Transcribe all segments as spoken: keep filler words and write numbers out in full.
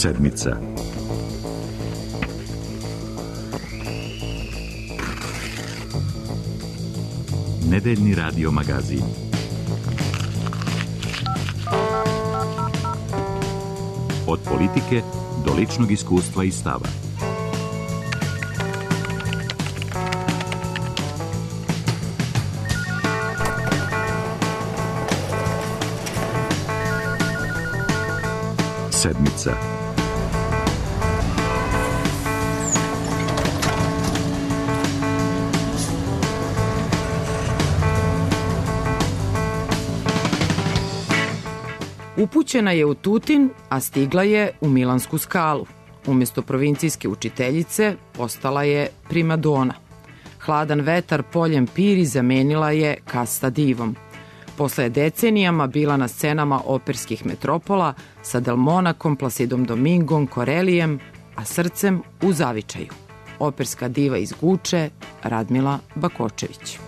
Sedmica. Nedeljni radio magazin. Od politike do ličnog iskustva i stava. Sedmica. Upućena je u Tutin, a stigla je u Milansku Skalu. Umjesto provincijske učiteljice postala je primadona. Hladan vetar poljem Piri zamenila je Kasta divom. Posle je decenijama bila na scenama operskih metropola sa Delmonakom, Placidom Domingom, Korelijem, a srcem u zavičaju. Operska diva iz Guče, Radmila Bakočević.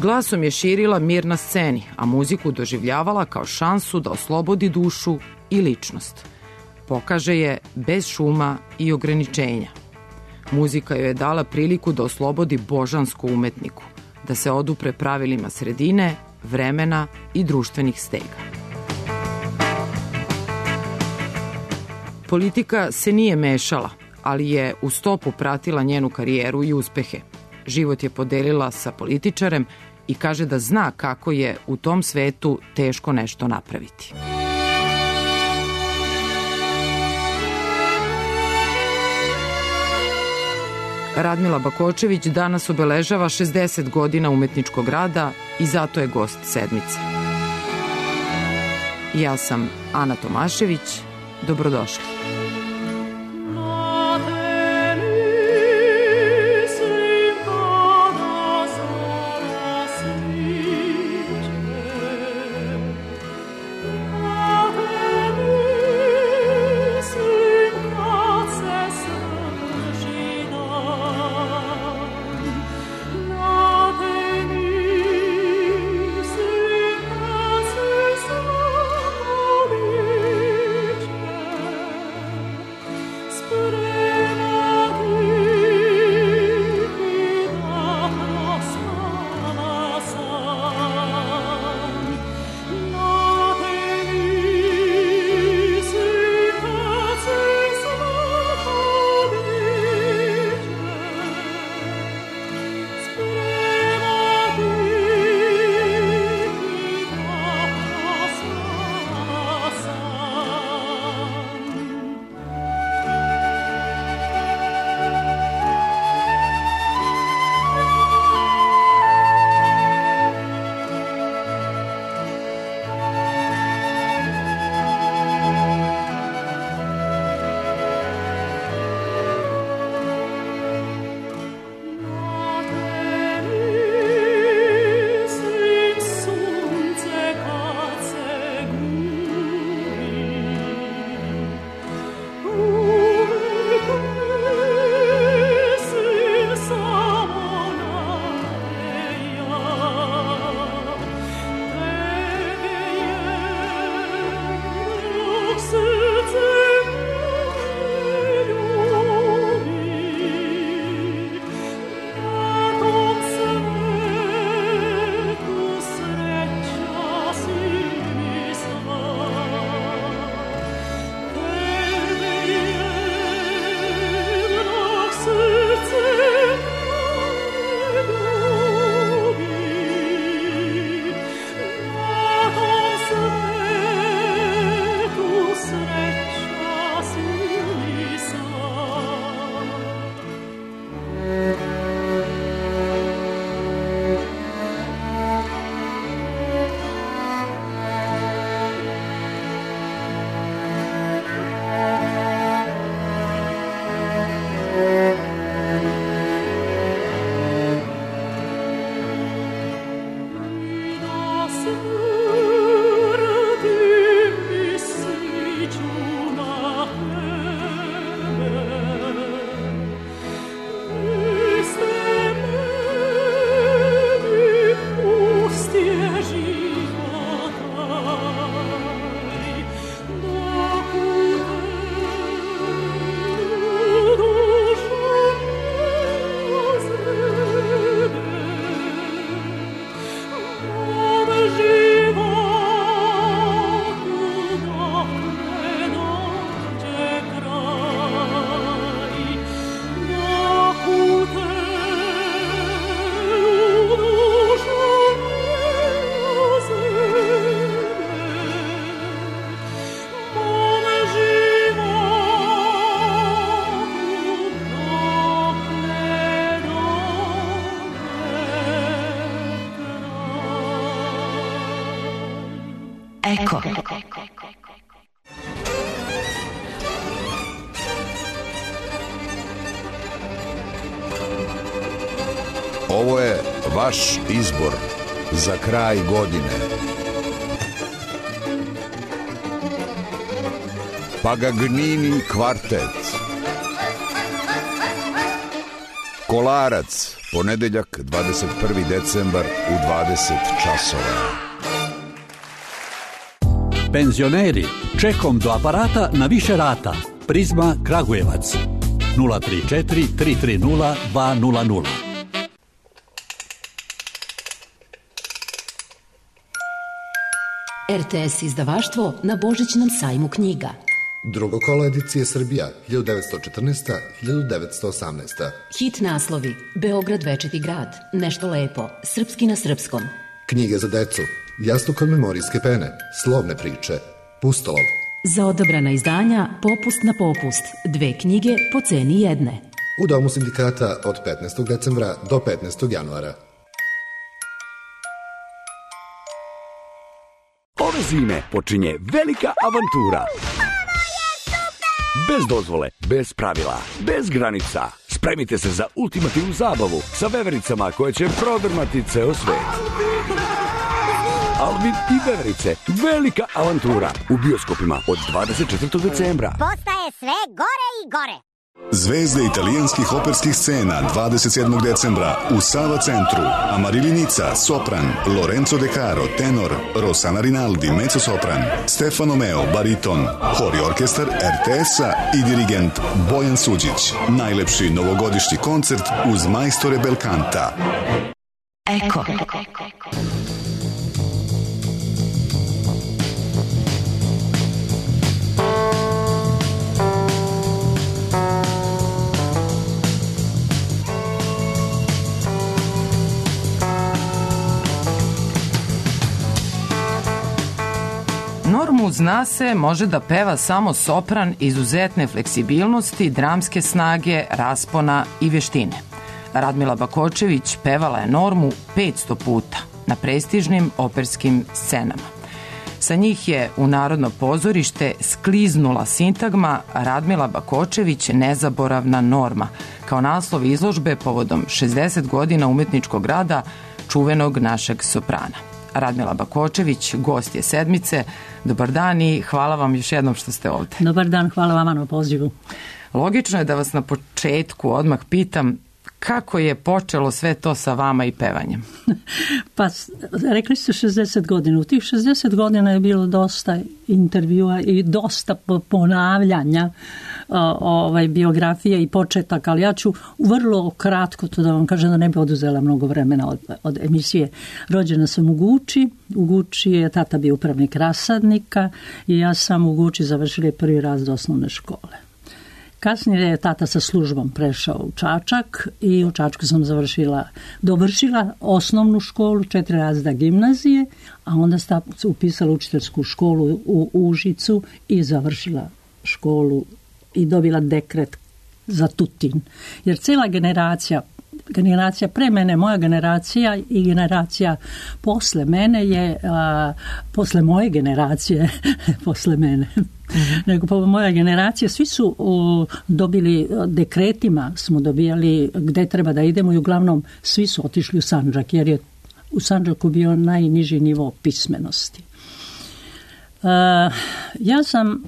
Glasom je širila mir na sceni, a muziku doživljavala kao šansu da oslobodi dušu i ličnost. Pokaže je bez šuma i ograničenja. Muzika joj je dala priliku da oslobodi božansku umetniku, da se odupre pravilima sredine, vremena i društvenih stega. Politika se nije mešala, ali je u stopu pratila njenu karijeru i uspehe. Život je podelila sa političarem i kaže da zna kako je u tom svetu teško nešto napraviti. Radmila Bakočević danas obeležava šezdeset godina umetničkog rada i zato je gost Sedmice. Ja sam Ana Tomašević. Dobrodošli. Eko. Ovo je vaš izbor za kraj godine. Pagagnini kvartet. Kolarac, ponedeljak, dvadeset prvi decembar u dvadeset časova. Penzioneri, čekom do aparata na više rata. Prizma Kragujevac. nula tri četiri tri tri nula dva nula nula. R T S izdavaštvo na Božićnom sajmu knjiga. Drugo kolo edicije Srbija, hiljadu devetsto četrnaesta do hiljadu devetsto osamnaesta. Hit naslovi: Beograd večiti grad, Nešto lepo, Srpski na srpskom. Knjige za decu, Jastuk od memorijske pene, Slovne priče, Pustolov. Za odabrana izdanja Popust na popust, dve knjige po ceni jedne. U Domu sindikata od petnaestog decembra do petnaestog januara. Ove zime počinje velika avantura. Bez dozvole, bez pravila, bez granica. Spremite se za ultimativnu zabavu sa vevericama koje će prodrmati ceo svet. Alvin i veverice, velika avantura u bioskopima od dvadeset četvrtog decembra. Postaje sve gore i gore. Zvezde italijanskih operskih scena dvadeset sedmog decembra u Sava centru. Amarilli Nica, sopran, Lorenzo De Caro, tenor, Rossana Rinaldi, mezzosopran, Stefano Meo, bariton, hor i orkestar R T S-a i dirigent Bojan Suđić. Najlepši novogodišnji koncert uz majstore Belkanta. Eko. Normu, zna se, može da peva samo sopran izuzetne fleksibilnosti, dramske snage, raspona i veštine. Radmila Bakočević pevala je Normu petsto puta na prestižnim operskim scenama. Sa njih je u Narodno pozorište skliznula sintagma Radmila Bakočević nezaboravna Norma, kao naslov izložbe povodom šezdeset godina umetničkog rada čuvenog našeg soprana. Radmila Bakočević, gost je sedmice. Dobar dan i hvala vam još jednom što ste ovde. Dobar dan, hvala vama na pozivu. Logično je da vas na početku odmah pitam kako je počelo sve to sa vama i pevanjem? Pa, rekli ste šezdeset godina. U tih šezdeset godina je bilo dosta intervjua i dosta ponavljanja ovaj, biografije i početaka, ali ja ću vrlo kratko to da vam kažem da ne bi oduzela mnogo vremena od, od emisije. Rođena sam u Guči. U Guči je tata bio upravnik rasadnika i ja sam u Guči završila prvi razred osnovne škole. Kasnije je tata sa službom prešao u Čačak i u Čačku sam završila, dovršila osnovnu školu, četiri razreda gimnazije, a onda sam upisala učiteljsku školu u Užicu i završila školu i dobila dekret za Tutin. Jer cijela generacija, generacija pre mene, moja generacija i generacija posle mene je, a, posle moje generacije, posle mene, mm-hmm. nego po moja generacija, svi su o, dobili dekretima, smo dobijali gde treba da idemo i uglavnom svi su otišli u Sandžak, jer je u Sandžaku bio najniži nivo pismenosti. A, ja sam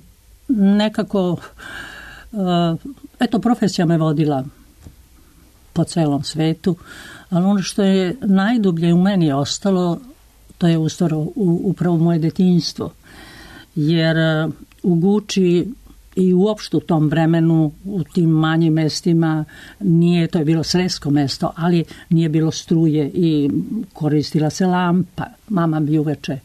nekako, a, eto, profesija me vodila po celom svetu, ali ono što je najdublje u meni ostalo, to je ustoro upravo moje detinjstvo. Jer u Guči i uopšte u tom vremenu, u tim manjim mestima, nije, to je bilo sresko mesto, ali nije bilo struje i koristila se lampa. Mama bi uveče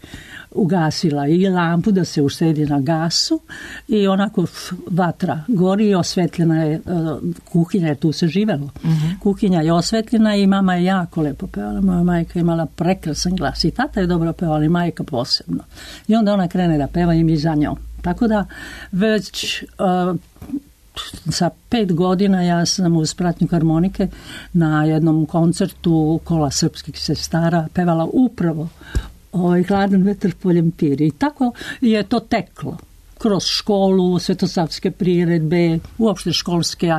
ugasila i lampu da se uštedi na gasu i onako vatra gori i osvetljena je kuhinja, jer tu se živelo. Mm-hmm. Kuhinja je osvetljena i mama je jako lepo pevala. Moja majka imala prekrasan glas i tata je dobro pevala i majka posebno. I onda ona krene da peva i mi za njom. Tako da već uh, sa pet godina ja sam uz pratnju harmonike na jednom koncertu Kola srpskih sestara pevala upravo ovaj, Hladan vetar poljem piri. I tako je to teklo. Kroz školu, svetosavske priredbe, uopšte školske,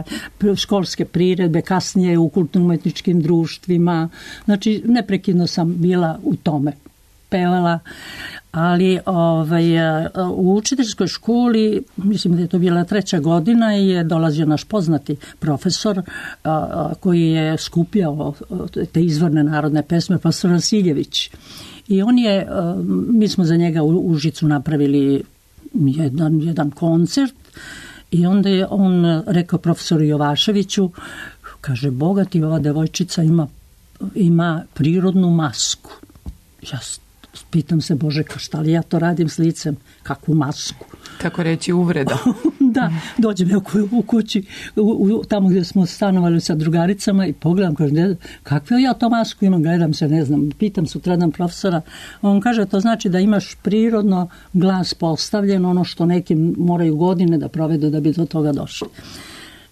školske priredbe, kasnije u kulturno-umetničkim društvima. Znači, neprekidno sam bila u tome. Pevala, ali ovaj, u učiteljskoj školi, mislim da je to bila treća godina, je dolazio naš poznati profesor a, koji je skupljao te izvorne narodne pesme, profesor Vasiljević. I on je, a, mi smo za njega u Užicu napravili jedan, jedan koncert i onda je on rekao profesoru Jovaševiću, kaže, bogati, ova devojčica ima, ima prirodnu masku. Ja pitam se, Bože, šta li ja to radim s licem? Kakvu masku? Kako reći, uvreda. Da, dođem u, u kući, u, u, tamo gdje smo stanovali sa drugaricama i pogledam, kažem, kakvu ja to masku imam, gledam se, ne znam, pitam sutradan profesora. On kaže, to znači da imaš prirodno glas postavljen, ono što neki moraju godine da provedu da bi do toga došli.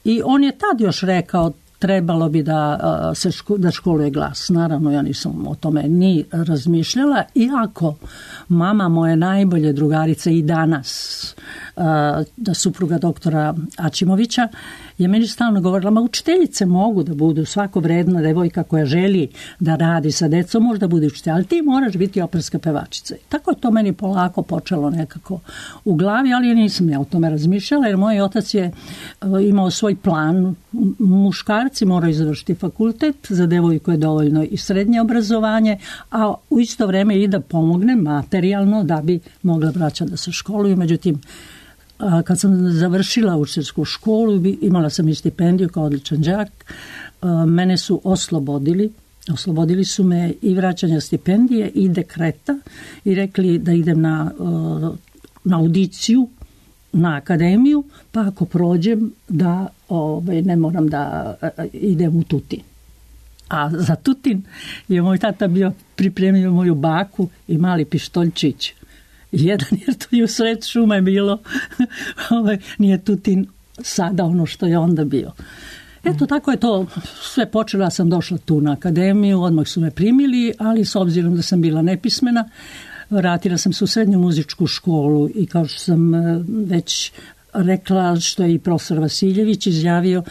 I on je tad još rekao, trebalo bi da se ško, da školuje glas. Naravno, ja nisam o tome ni razmišljala, iako mama moje najbolje drugarice i danas, da supruga doktora Ačimovića, je meni stalno govorila, ma učiteljice mogu da budu, svako vredna devojka koja želi da radi sa decom, može da bude učitelj, ali ti moraš biti operska pevačica. I tako je to meni polako počelo nekako u glavi, ali nisam ja o tome razmišljala, jer moj otac je imao svoj plan. Muškarci moraju završiti fakultet, za devojku je dovoljno i srednje obrazovanje, a u isto vrijeme i da pomogne materijalno da bi mogla braća da se školuju. Međutim, kad sam završila učiteljsku školu, imala sam i stipendiju kao odličan đak, mene su oslobodili. Oslobodili su me i vraćanja stipendije i dekreta i rekli da idem na, na audiciju na akademiju, pa ako prođem da ovaj, ne moram da idem u Tutin. A za Tutin je moj tata bio pripremio moju baku i mali pištoljčić. Jedan, jer to je u sred šume bilo, ovaj, nije Tutin sada ono što je onda bio. Eto, tako je to sve počelo, ja sam došla tu na akademiju, odmah su me primili, ali s obzirom da sam bila nepismena, vratila sam se u srednju muzičku školu i kao što sam već rekla, što je i profesor Vasiljević izjavio,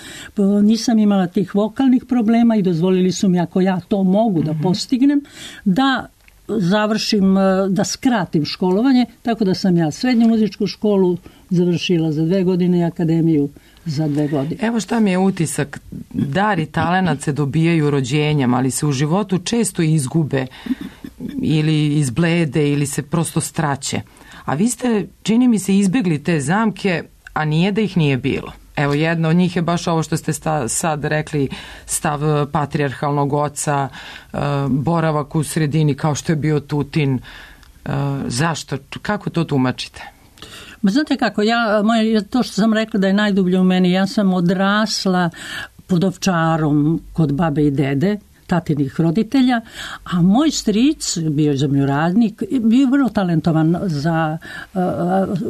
nisam imala tih vokalnih problema i dozvolili su mi, ako ja to mogu da postignem, da završim, da skratim školovanje, tako da sam ja srednju muzičku školu završila za dve godine i akademiju za dve godine. Evo šta mi je utisak, dar i talenat se dobijaju rođenjem, ali se u životu često izgube ili izblede ili se prosto straće. A vi ste, čini mi se, izbjegli te zamke, a nije da ih nije bilo. Evo, jedna od njih je baš ovo što ste sta, sad rekli, stav patrijarhalnog oca, e, boravak u sredini kao što je bio Tutin. E, zašto? Kako to tumačite? Ma znate kako, ja, moje, to što sam rekla da je najdublje u meni, ja sam odrasla pod Ovčarom kod babe i dede, tatinih roditelja, a moj stric, bio je zemljoradnik, bio vrlo talentovan za,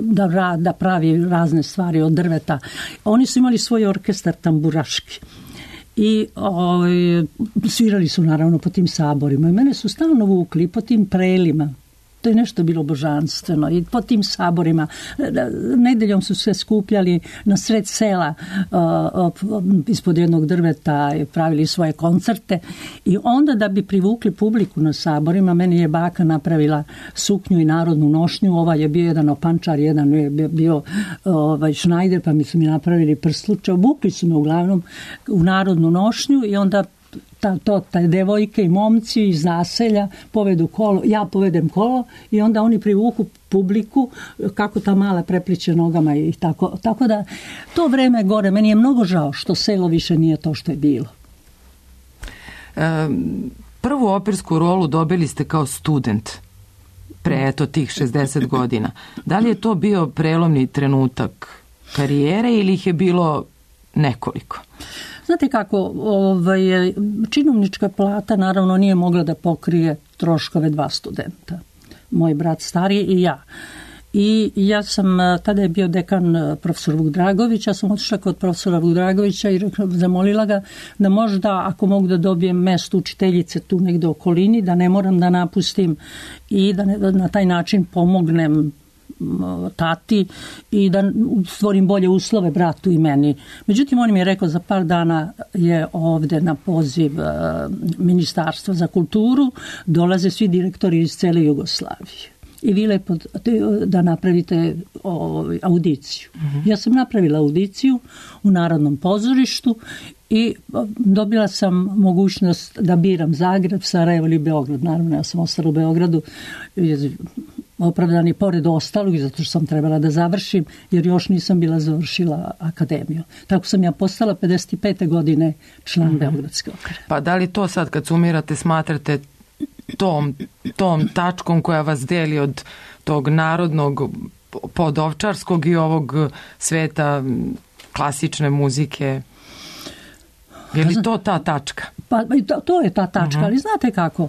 da, da pravi razne stvari od drveta. Oni su imali svoj orkestar tamburaški i ovaj, svirali su naravno po tim saborima i mene su stalno vukli po tim prelima. To je nešto bilo božanstveno i po tim saborima. Nedeljom su se skupljali na sred sela uh, ispod jednog drveta i pravili svoje koncerte i onda da bi privukli publiku na saborima, meni je baka napravila suknju i narodnu nošnju, ovaj je bio jedan opančar, jedan je bio ovaj, šnajder, pa mi su mi napravili prsluče, obukli su me uglavnom u narodnu nošnju i onda Ta, to, taj devojke i momci iz naselja povedu kolo, ja povedem kolo i onda oni privuku publiku kako ta mala prepliče nogama i tako. Tako da to vreme gore, meni je mnogo žao što selo više nije to što je bilo. E, prvu opersku rolu dobili ste kao student pre eto tih šezdeset godina. Da li je to bio prelomni trenutak karijere ili ih je bilo nekoliko? Znate kako, ovaj, činovnička plata naravno nije mogla da pokrije troškove dva studenta. Moj brat stariji i ja. I ja sam, tada je bio dekan profesor Vuk Dragović, ja sam otišla kod profesora Vuk Dragovića i zamolila ga da možda, ako mogu da dobijem mesto učiteljice tu negde u okolini, da ne moram da napustim i da, ne, da na taj način pomognem tati i da stvorim bolje uslove bratu i meni. Međutim, on mi je rekao za par dana je ovde na poziv Ministarstva za kulturu, dolaze svi direktori iz cele Jugoslavije. I vi lepo da napravite audiciju. Uh-huh. Ja sam napravila audiciju u Narodnom pozorištu i dobila sam mogućnost da biram Zagreb, Sarajevo ili Beograd. Naravno, ja sam ostala u Beogradu, opravdani pored ostalog, zato što sam trebala da završim, jer još nisam bila završila akademiju. Tako sam ja postala pedeset pete godine član uh-huh. Beogradske opere. Pa da li to sad kad sumirate smatrate tom, tom tačkom koja vas deli od tog narodnog podovčarskog i ovog sveta klasične muzike? Je li to ta tačka? Pa to, to je ta tačka, uh-huh. ali znate kako?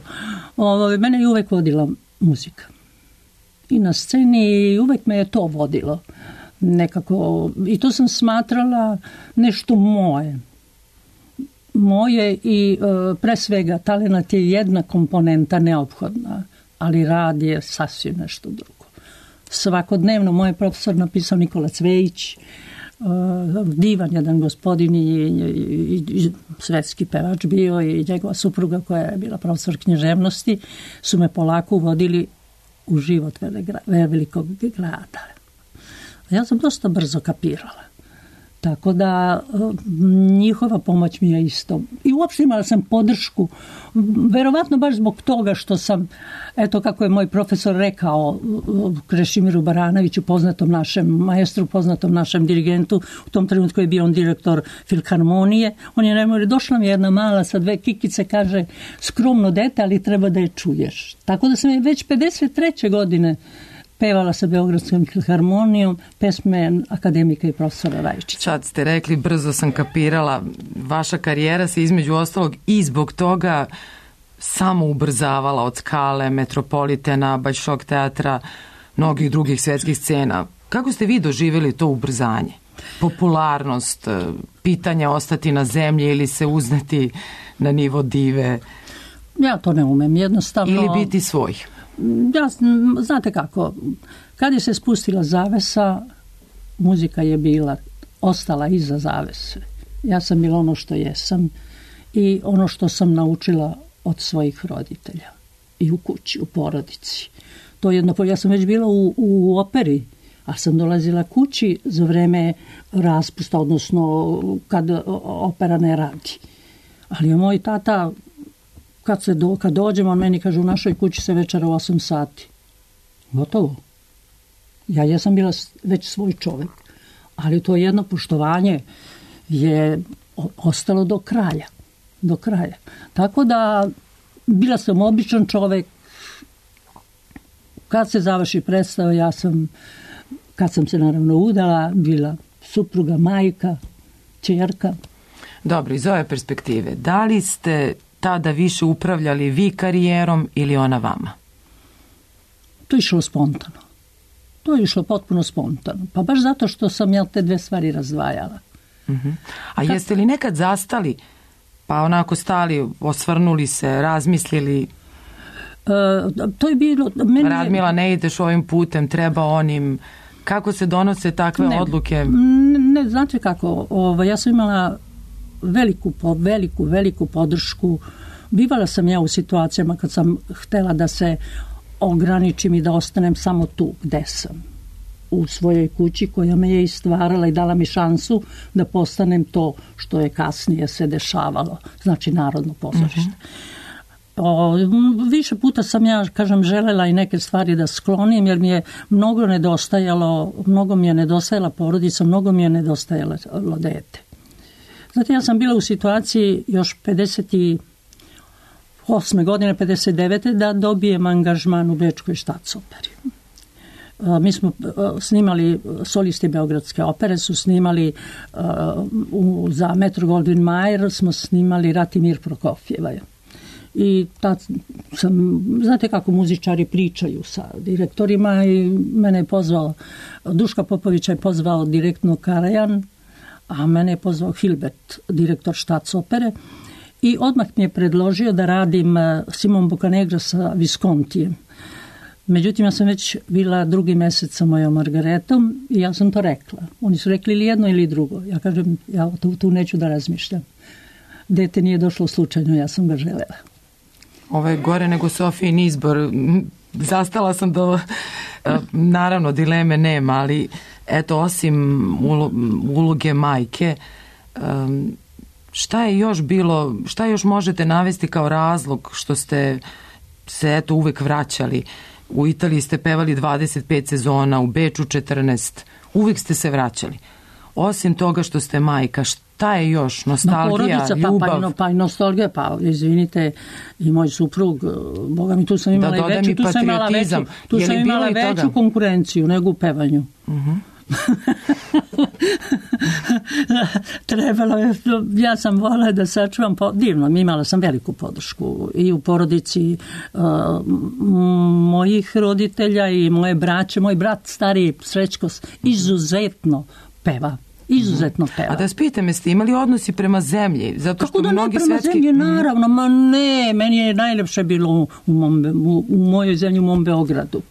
Ovo, mene je uvek vodila muzika. I na sceni uvek me je to vodilo. Nekako, i to sam smatrala nešto moje. Moje i e, pre svega talenat je jedna komponenta neophodna, ali rad je sasvim nešto drugo. Svakodnevno moj profesor napisao Nikola Cvejić, e, divan jedan gospodin i, i, i svetski pevač bio i njegova supruga koja je bila profesor književnosti su me polako uvodili u život velikog grada. Ja sam dosta brzo kapirala. Tako da njihova pomoć mi je isto. I uopšte imala sam podršku, verovatno baš zbog toga što sam, eto kako je moj profesor rekao, Krešimiru Baranoviću, poznatom našem maestru, poznatom našem dirigentu, u tom trenutku je bio on direktor Filharmonije, on je najmori, došla mi jedna mala sa dve kikice, kaže, skromno dete, ali treba da je čuješ. Tako da sam već pedeset treće godine pevala sa Beogradskom filharmonijom pesme akademika i profesora Rajičića. Sad ste rekli, brzo sam kapirala, vaša karijera se između ostalog i zbog toga samo ubrzavala od Skale, Metropolitena, Bolšoj teatra, mnogih drugih svetskih scena. Kako ste vi doživjeli to ubrzanje? Popularnost, pitanje ostati na zemlji ili se uzneti na nivo dive? Ja to ne umem, jednostavno. Ili biti svoj? Ja, znate kako, kad je se spustila zavesa, muzika je bila, ostala iza zavese. Ja sam bila ono što jesam i ono što sam naučila od svojih roditelja i u kući, u porodici. To jedno, ja sam već bila u, u operi, a sam dolazila kući za vreme raspusta, odnosno kad opera ne radi. Ali je moj tata, kad, se do, kad dođemo, on meni kaže, u našoj kući se večera u osam sati. Gotovo. Ja jesam bila već svoj čovjek, ali to jedno poštovanje je ostalo do kraja. Do kraja. Tako da bila sam običan čovjek. Kad se završi predstava, ja sam, kad sam se naravno udala, bila supruga, majka, ćerka. Dobro, iz ove perspektive, da li ste tada više upravljali vi karijerom ili ona vama? To je išlo spontano. To je išlo potpuno spontano. Pa baš zato što sam ja te dve stvari razdvajala. Uh-huh. A Kad... jeste li nekad zastali, pa onako stali, osvrnuli se, razmislili? Uh, to je bilo... Meni... Radmila, ne ideš ovim putem, treba onim... Kako se donose takve ne, odluke? Ne, ne, znate kako, ovo, ja sam imala veliku, veliku, veliku podršku. Bivala sam ja u situacijama kad sam htela da se ograničim i da ostanem samo tu gde sam. U svojoj kući koja me je istvarala i dala mi šansu da postanem to što je kasnije se dešavalo. Znači Narodno pozorište. Uh-huh. O, više puta sam ja, kažem, želela i neke stvari da sklonim, jer mi je mnogo nedostajalo, mnogo mi je nedostajala porodica, mnogo mi je nedostajalo dete. Znate, ja sam bila u situaciji još pedeset osme godine, pedeset devete da dobijem angažman u Bečkoj štatsoperi. Mi smo snimali, solisti Beogradske opere su snimali uh, u, za Metro Goldwyn Mayer smo snimali Ratimir Prokofjeva. I tad sam, znate kako muzičari pričaju sa direktorima, i mene je pozvao, Duška Popovića je pozvao direktno Karajan, a mene je pozvao Hilbert, direktor Štac opere, i odmah mi je predložio da radim Simon Boccanegra sa Viscontijem. Međutim, ja sam već bila drugi mesec sa mojom Margaretom i ja sam to rekla. Oni su rekli ili jedno ili drugo. Ja kažem, ja tu, tu neću da razmišljam. Dete nije došlo slučajno, ja sam ga želela. Ovo je gore nego Sofijin izbor. Zastala sam do... Naravno, dileme nema, ali eto, osim uloge majke, šta je još bilo, šta još možete navesti kao razlog što ste se eto uvek vraćali? U Italiji ste pevali dvadeset pet sezona, u Beču četrnaest, uvek ste se vraćali. Osim toga što ste majka, šta je još? Nostalgija, porodica, ljubav? Pa, pa, pa i nostalgija, pa izvinite, i moj suprug, boga mi, tu sam imala, da, i veću, tu sam imala veću, tu sam imala veću konkurenciju nego u pevanju. Uh-huh. Trebalo je, ja sam volila da sačuvam, divno, imala sam veliku podršku i u porodici uh, mojih roditelja i moje braće. Moj brat stariji Srećko izuzetno peva. Izuzetno peva. A da spite me, ste imali odnosi prema zemlji? Zato kako što da mnogi ne prema svetski... zemlji, naravno, ma ne, meni je najlepše bilo u, u, mom, u, u mojoj zemlji, u mom Beogradu.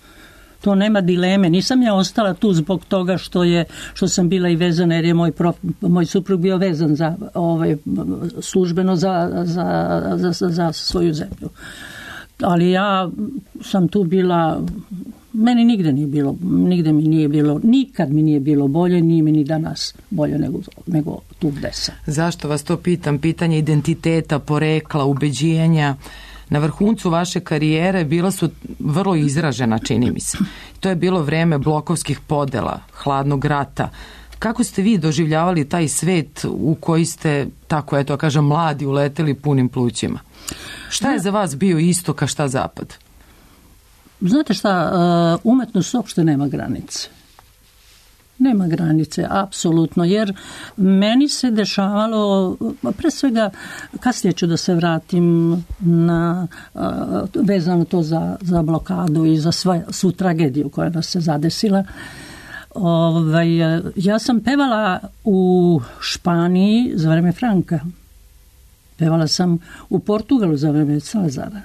To nema dileme. Nisam ja ostala tu zbog toga što je što sam bila i vezana, jer je moj, prof, moj suprug bio vezan za, ovaj, službeno za, za, za, za, za svoju zemlju. Ali ja sam tu bila, meni nigde nije bilo, nigde mi nije bilo, nikad mi nije bilo bolje, nije mi ni danas bolje nego, nego tu gde sam. Zašto vas to pitam? Pitanje identiteta, porekla, ubeđenja. Na vrhuncu vaše karijere bila su vrlo izražena, čini mi se. To je bilo vreme blokovskih podela, hladnog rata. Kako ste vi doživljavali taj svet u koji ste, tako eto, kažem, mladi uleteli punim plućima? Šta je za vas bio istok, a šta zapad? Znate šta, umetnost uopšte nema granice. Nema granice, apsolutno, jer meni se dešavalo, pre svega, kasnije ću da se vratim na, vezano to za, za blokadu i za sva, svu tragediju koja nas se zadesila. Ovaj, ja sam pevala u Španiji za vreme Franka. Pevala sam u Portugalu za vreme Salazara.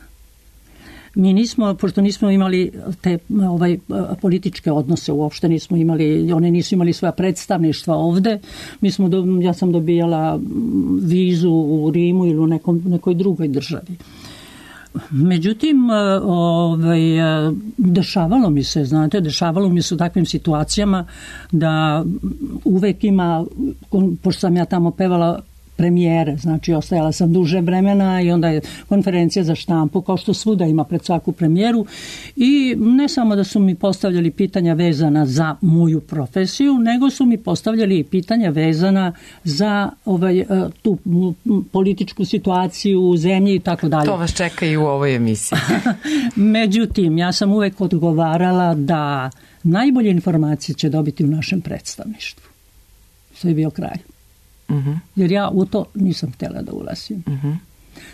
Mi nismo, pošto nismo imali te ovaj, političke odnose, uopšte nismo imali, one nisu imali svoja predstavništva ovde, mi smo, ja sam dobijala vizu u Rimu ili u nekom, nekoj drugoj državi. Međutim, ovaj, dešavalo mi se, znate, dešavalo mi se u takvim situacijama da uvek ima, pošto sam ja tamo pevala premijere, znači ostajala sam duže vremena i onda je konferencija za štampu, kao što svuda ima pred svaku premijeru, i ne samo da su mi postavljali pitanja vezana za moju profesiju, nego su mi postavljali i pitanja vezana za ovaj, tu političku situaciju u zemlji i tako dalje. To vas čeka i u ovoj emisiji. Međutim, ja sam uvek odgovarala da najbolje informacije će dobiti u našem predstavništvu. To je bio kraj. Uh-huh. Jer ja u to nisam htjela da ulazim. Uh-huh.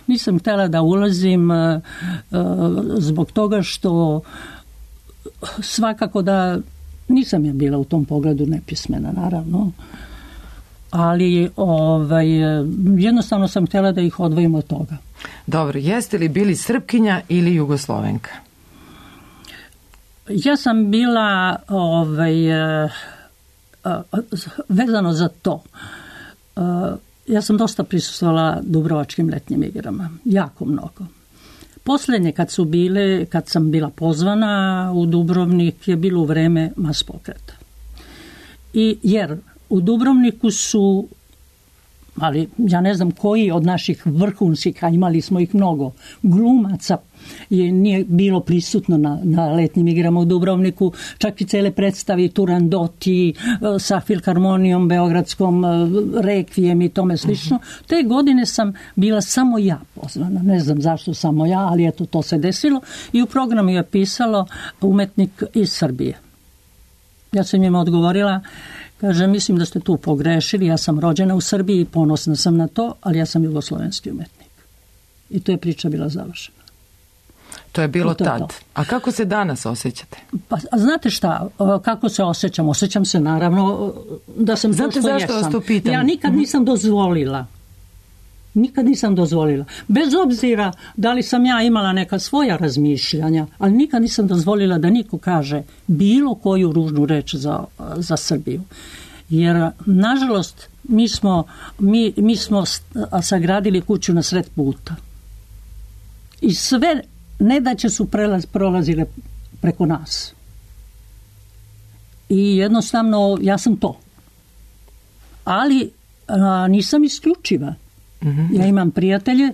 Nisam htjela da ulazim uh, uh, zbog toga što svakako da nisam ja bila u tom pogledu nepismena, naravno. Ali ovaj, jednostavno sam htjela da ih odvojim od toga. Dobro, jeste li bili Srpkinja ili Jugoslovenka? Ja sam bila ovaj, uh, uh, vezano za to. Uh, ja sam dosta prisustvovala Dubrovačkim letnjim igrama, jako mnogo. Posljednje kad su bile, kad sam bila pozvana u Dubrovnik, je bilo u vreme mas pokreta. I jer u Dubrovniku su, ali ja ne znam koji od naših vrhunskih, a imali smo ih mnogo, glumaca je nije bilo prisutno na, na letnjim igrama u Dubrovniku, čak i cele predstavi Turandoti sa Filharmonijom Beogradskom, Rekvijem i tome slično. Uh-huh. Te godine sam bila samo ja pozvana, ne znam zašto samo ja, ali eto to se desilo, i u programu je pisalo umetnik iz Srbije. Ja sam im odgovorila, kaže, mislim da ste tu pogrešili, ja sam rođena u Srbiji, ponosna sam na to, ali ja sam jugoslovenski umetnik. I to je priča bila završena. To je bilo to je tad. to. A kako se danas osjećate? Pa, a znate šta, kako se osjećam? Osjećam se naravno da sam to što zašto vas to pitam? Ja nikad nisam dozvolila. Nikad nisam dozvolila. Bez obzira da li sam ja imala neka svoja razmišljanja, ali nikad nisam dozvolila da niko kaže bilo koju ružnu reč za, za Srbiju. Jer, nažalost, mi smo, mi, mi smo sagradili kuću na sred puta. I sve nedaće su prelaz, prolazile preko nas. I jednostavno, ja sam to. Ali a, nisam isključiva. Mm-hmm. Ja imam prijatelje,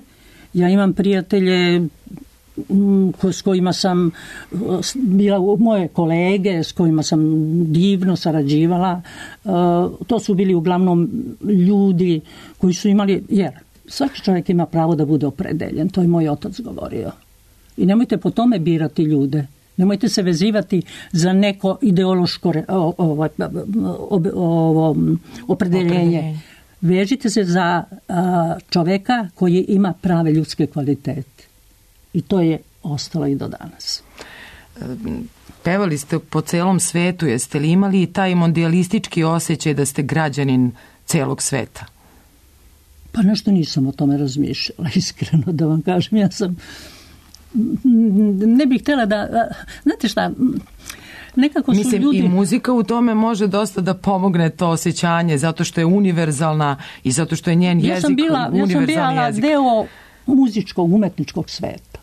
ja imam prijatelje m, s kojima sam bila moje kolege, s kojima sam divno sarađivala. Uh, to su bili uglavnom ljudi koji su imali, jer svaki čovjek ima pravo da bude opredeljen, to je moj otac govorio. I nemojte po tome birati ljude. Nemojte se vezivati za neko ideološko o, o, o, o, opredeljenje. Vežite se za a, čoveka koji ima prave ljudske kvalitete. I to je ostalo i do danas. Pevali ste po celom svetu. Jeste li imali i taj mondijalistički osjećaj da ste građanin celog sveta? Pa nešto nisam o tome razmišljala, iskreno da vam kažem. Ja sam... Ne bih htjela da... Znate šta... Nekako su Mislim, ljudi... i muzika u tome može dosta da pomogne to osjećanje, zato što je univerzalna i zato što je njen ja jezik sam bila, univerzalni ja sam bila jezik. deo muzičkog, umetničkog sveta.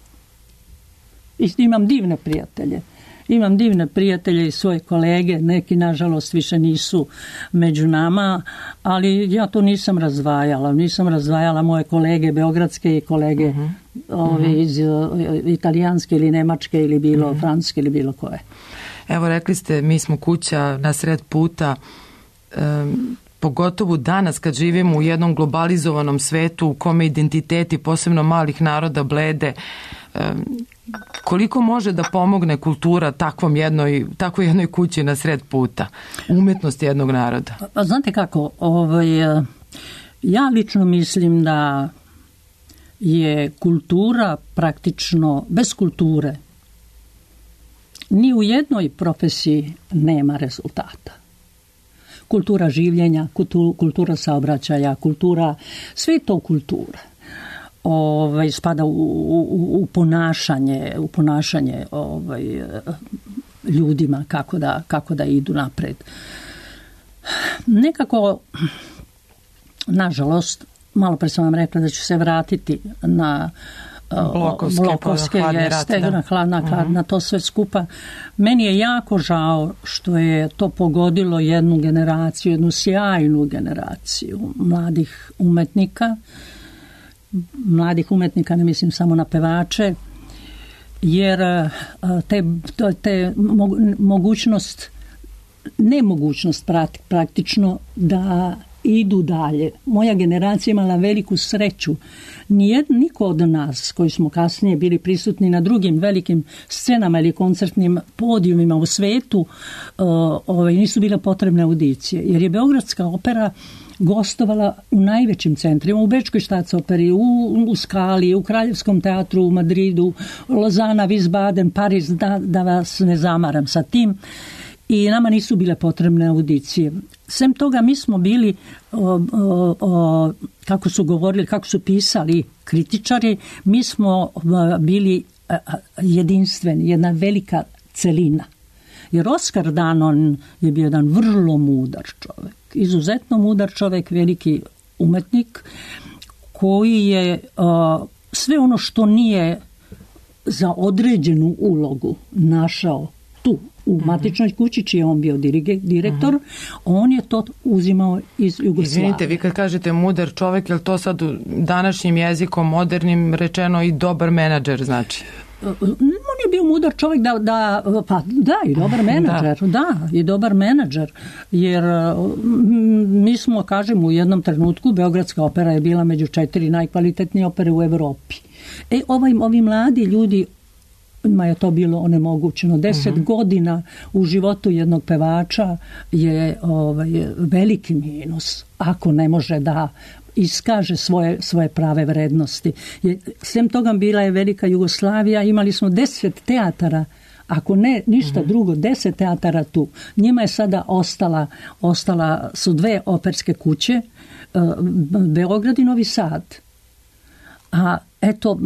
I imam divne prijatelje. Imam divne prijatelje i svoje kolege, neki nažalost više nisu među nama, ali ja to nisam razdvajala. Nisam razdvajala moje kolege beogradske i kolege uh-huh. ove, uh-huh. iz uh, italijanske ili nemačke ili bilo uh-huh. francuske ili bilo koje. Evo, rekli ste, mi smo kuća na sred puta, um, pogotovo danas kad živimo u jednom globalizovanom svetu u kome identiteti, posebno malih naroda, blede. Um, koliko može da pomogne kultura takvom jednoj, takvoj jednoj kući na sred puta, umetnost jednog naroda? Pa znate kako, ovaj, ja lično mislim da je kultura praktično, bez kulture ni u jednoj profesiji nema rezultata. Kultura življenja, kultura saobraćaja, kultura, sve to kultura. Ovaj, spada u, u, u ponašanje, u ponašanje ovaj, ljudima kako da, kako da idu napred. Nekako, nažalost, malo pre sam vam rekla da ću se vratiti na blokovske, blokovske jeste, rat, na, hladna, uh-huh. na to sve skupa. Meni je jako žao što je to pogodilo jednu generaciju, jednu sjajnu generaciju mladih umetnika. Mladih umetnika, ne mislim samo na pevače, jer te, te mogućnost, nemogućnost praktično da idu dalje. Moja generacija imala veliku sreću. Nijed, niko od nas koji smo kasnije bili prisutni na drugim velikim scenama ili koncertnim podijumima u svetu, ovaj, nisu bile potrebne audicije. Jer je Beogradska opera gostovala u najvećim centrima, u Bečkoj štatsoperi, u, u Skali, u Kraljevskom teatru, u Madridu, Lozana, Wiesbaden, Pariz, da, da vas ne zamaram sa tim. I nama nisu bile potrebne audicije. Sem toga mi smo bili, o, o, o, kako su govorili, kako su pisali kritičari, mi smo bili jedinstveni, jedna velika celina. Jer Oskar Danon je bio jedan vrlo mudar čovjek, izuzetno mudar čovjek, veliki umetnik, koji je o, sve ono što nije za određenu ulogu našao tu, u matičnoj kući, čiji je on bio direktor, uh-huh. on je to uzimao iz Jugoslavije. Izvinite, vi kad kažete mudar čovjek, je li to sad današnjim jezikom, modernim rečeno i dobar menadžer, znači? On je bio mudar čovjek da, da pa da, i dobar menadžer, da. da, i dobar menadžer, jer mi smo, kažem, u jednom trenutku Beogradska opera je bila među četiri najkvalitetnije opere u Evropi. E, ovaj, ovi mladi ljudi, ma je to bilo onemogućeno. Deset uh-huh. godina u životu jednog pevača je ovaj, veliki minus ako ne može da iskaže svoje, svoje prave vrednosti. Je, sem toga bila je velika Jugoslavija, imali smo deset teatara, ako ne ništa drugo, deset teatara tu. Njima je sada ostala, ostala su dve operske kuće, Beograd i Novi Sad. A eto,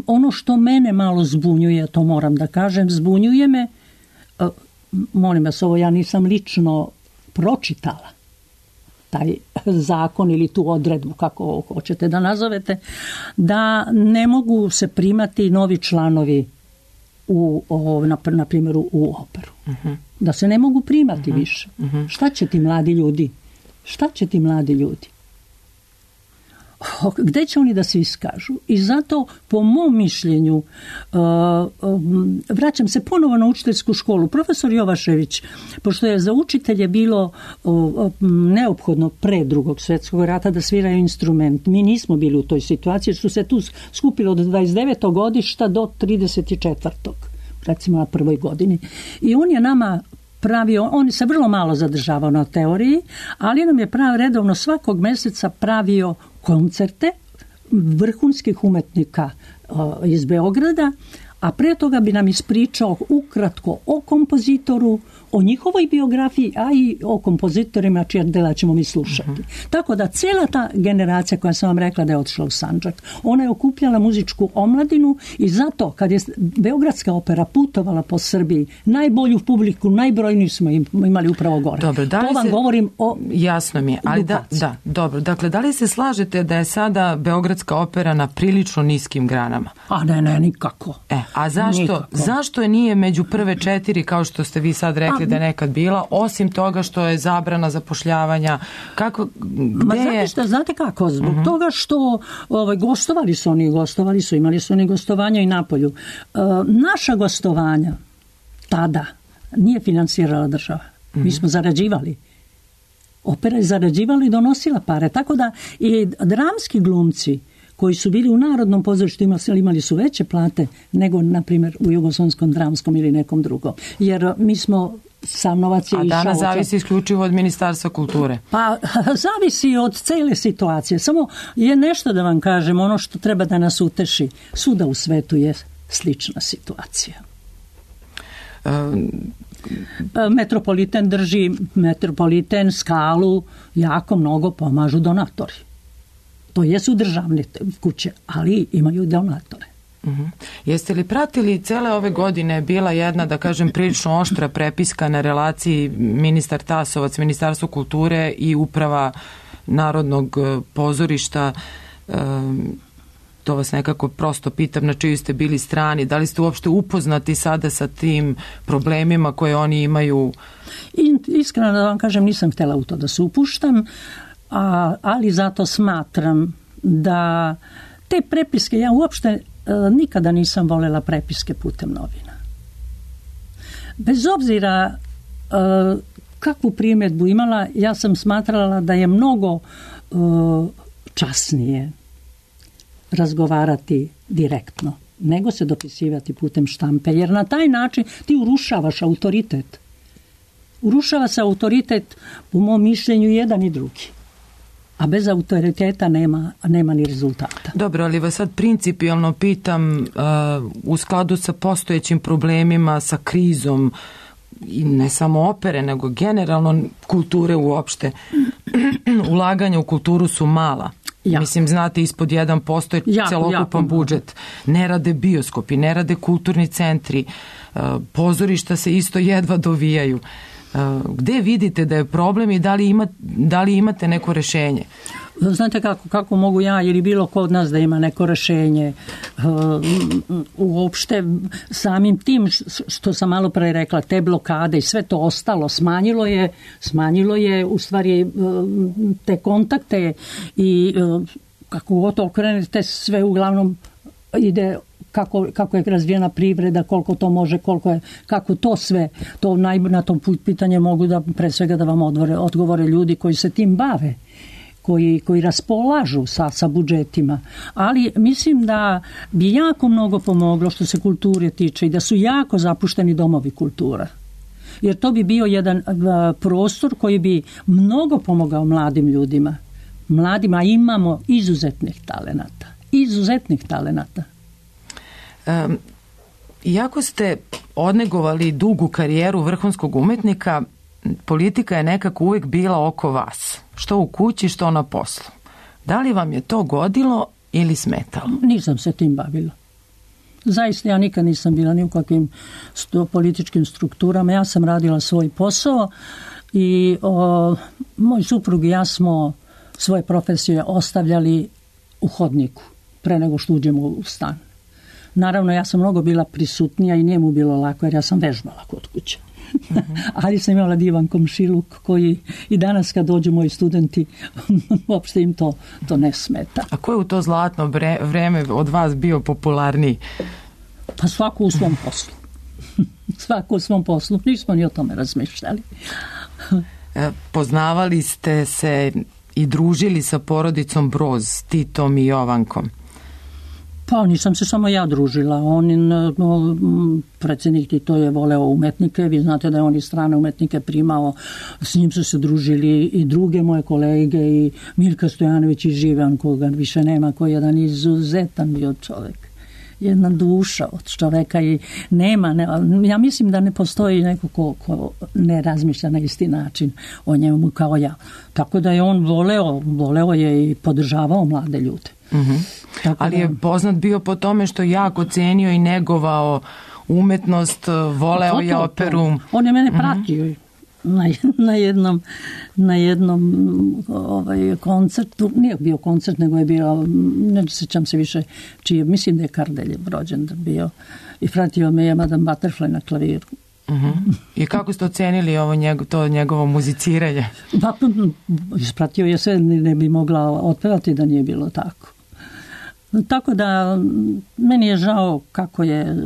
ono što mene malo zbunjuje, to moram da kažem, zbunjuje me, molim vas, ovo ja nisam lično pročitala, taj zakon ili tu odredbu, kako hoćete da nazovete, da ne mogu se primati novi članovi u, o, na, na primjeru u operu. Uh-huh. Da se ne mogu primati uh-huh. više. Uh-huh. Šta će ti mladi ljudi? Šta će ti mladi ljudi? Gde će oni da se iskažu? I zato, po mom mišljenju, uh, uh, vraćam se ponovo na učiteljsku školu. Profesor Jovašević, pošto je za učitelje bilo uh, neophodno pre drugog svjetskog rata da sviraju instrument, mi nismo bili u toj situaciji, što se tu skupilo od dvadeset devetog godišta do trideset četvrtog recimo na prvoj godini. I on je nama pravio, on se vrlo malo zadržavao na teoriji, ali nam je prav redovno svakog mjeseca pravio koncerte vrhunskih umetnika uh, iz Beograda, a pre toga bi nam ispričao ukratko o kompozitoru, o njihovoj biografiji, a i o kompozitorima čija dela ćemo mi slušati. Uh-huh. Tako da cijela ta generacija koja sam vam rekla da je otišla u Sandžak, ona je okupljala muzičku omladinu i zato kad je Beogradska opera putovala po Srbiji, najbolju publiku, najbrojniju smo imali upravo gore. Dobro, da li to vam se, govorim o... Jasno mi je, ali da, da, dobro. Dakle, da li se slažete da je sada Beogradska opera na prilično niskim granama? A ne, ne, nikako. E, a zašto, nikako. Zašto je nije među prve četiri, kao što ste vi sad rekli, da je nekad bila, osim toga što je zabrana zapošljavanja? Kako, Ma znate, je... šta, znate kako? Zbog uh-huh. toga što ovaj, gostovali su oni, gostovali su, imali su oni gostovanja i napolju. E, naša gostovanja tada nije finansirala država. Uh-huh. Mi smo zarađivali. Opera je zarađivala i donosila pare. Tako da i dramski glumci koji su bili u Narodnom pozorištu imali su veće plate nego, na primjer, u Jugoslavenskom dramskom ili nekom drugom. Jer mi smo sam novac je išao... A danas zavisi isključivo od Ministarstva kulture. Pa zavisi od cele situacije. Samo je nešto da vam kažem, ono što treba da nas uteši. Svuda u svetu je slična situacija. Um... Metropoliten drži, Metropoliten, Skalu, jako mnogo pomažu donatori. To jesu državne kuće, ali imaju donatore. Uh-huh. Jeste li pratili cele ove godine bila jedna, da kažem, prilično oštra prepiska na relaciji ministar Tasovac, Ministarstvo kulture i uprava Narodnog pozorišta? Um, to vas nekako prosto pitam na čiju ste bili strani. Da li ste uopšte upoznati sada sa tim problemima koje oni imaju? I, iskreno da vam kažem, nisam htjela u to da se upuštam, a, ali zato smatram da te prepiske, ja uopšte e, nikada nisam voljela prepiske putem novina. Bez obzira e, kakvu primjedbu imala, ja sam smatrala da je mnogo e, časnije razgovarati direktno, nego se dopisivati putem štampe, jer na taj način ti urušavaš autoritet. Urušava se autoritet, po mom mišljenju, jedan i drugi. A bez autoriteta nema, nema ni rezultata. Dobro, ali vas sad principijalno pitam, uh, u skladu sa postojećim problemima, sa krizom, i ne samo opere, nego generalno kulture uopšte, ulaganja u kulturu su mala. Ja. Mislim, znate, ispod jedan posto je jako, celokupan jako budžet. Ne rade bioskopi, ne rade kulturni centri, uh, pozorišta se isto jedva dovijaju. Uh, gde vidite da je problem i da li, ima, da li imate neko rešenje? Znate kako, kako mogu ja ili bilo ko od nas da ima neko rešenje? Uh, uopšte samim tim što sam malo pre rekla, te blokade i sve to ostalo smanjilo je, smanjilo je u stvari uh, te kontakte i uh, kako god to okrenete, sve uglavnom ide kako, kako je razvijena privreda, koliko to može, koliko je, kako to sve, to naj, na to pitanje mogu da pre svega da vam odgovore, odgovore ljudi koji se tim bave. Koji, koji raspolažu sa, sa budžetima. Ali mislim da bi jako mnogo pomoglo što se kulture tiče i da su jako zapušteni domovi kultura. Jer to bi bio jedan uh, prostor koji bi mnogo pomogao mladim ljudima. mladima, imamo izuzetnih talenata. Izuzetnih talenata. Um, iako ste odnegovali dugu karijeru vrhunskog umetnika, politika je nekako uvijek bila oko vas. Što u kući, što na poslu. Da li vam je to godilo ili smetalo? Nisam se tim bavila. Zaista ja nikad nisam bila ni u kakvim sto, političkim strukturama. Ja sam radila svoj posao i o, moj suprug i ja smo svoje profesije ostavljali u hodniku pre nego što uđemo u stan. Naravno, ja sam mnogo bila prisutnija i njemu bilo lako jer ja sam vežbala kod kuće. Mm-hmm. Ali sam imala divan komšiluk koji i danas kad dođu moji studenti uopšte im to, to ne smeta. A ko je u to zlatno vreme od vas bio popularniji? Pa svako u svom poslu. Svako u svom poslu. Nismo ni o tome razmišljali. Poznavali ste se i družili sa porodicom Broz, Titom i Jovankom? Pa nisam se samo ja družila. On, predsjednik Tito je voleo umetnike. Vi znate da je on i strane umetnike primao. S njim su se družili i druge moje kolege i Mirka Stojanović i Živan, koga više nema, koji je jedan izuzetan bio čovjek. Jedna duša od čoveka i nema, ne, ja mislim da ne postoji neko ko, ko ne razmišlja na isti način o njemu kao ja. Tako da je on voleo, voleo je i podržavao mlade ljude. Mm-hmm. Ali je poznat bio po tome što jako cenio i negovao umetnost, voleo to, to, je operu. To. On je mene pratio mm-hmm. na, na jednom, na jednom ovaj, koncertu, nije bio koncert, nego je bio, ne sjećam se više čije, mislim da je Kardeljev rođendan bio i pratio me je Madame Butterfly na klaviru. Uh-huh. I kako ste ocenili ovo njego, to njegovo muziciranje? Pa, ispratio je sve, ne bi mogla otpevati da nije bilo tako. Tako da meni je žao kako je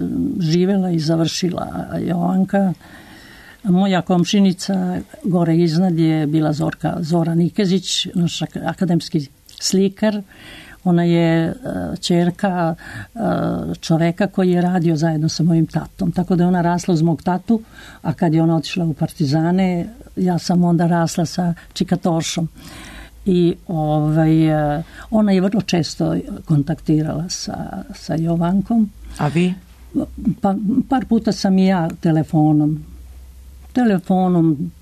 živela i završila Jovanka. Moja komšinica gore iznad je bila Zorka Zora Nikezić, naš akademski slikar. Ona je ćerka čoveka koji je radio zajedno sa mojim tatom. Tako da je ona rasla uz mog tatu, a kad je ona otišla u Partizane, ja sam onda rasla sa Čikatošom. I ovaj, ona je vrlo često kontaktirala sa, sa Jovankom. A vi? Pa, par puta sam i ja telefonom. Telefonom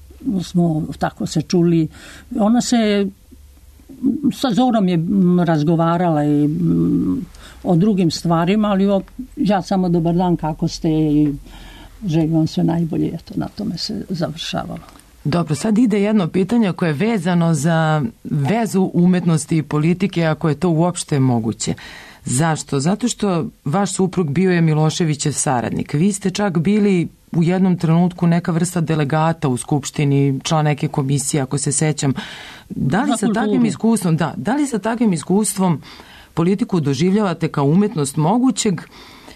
smo tako se čuli. Ona se sa Zorom je razgovarala i o drugim stvarima, ali o, ja samo dobar dan, kako ste i želim vam sve najbolje. Eto, na tome se završavalo. Dobro, sad ide jedno pitanje koje je vezano za vezu umetnosti i politike, ako je to uopšte moguće. Zašto? Zato što vaš suprug bio je Miloševićev saradnik. Vi ste čak bili u jednom trenutku neka vrsta delegata u skupštini, član neke komisije, ako se sećam. Da li sa takvim iskustvom, da, da li sa takvim iskustvom politiku doživljavate kao umetnost mogućeg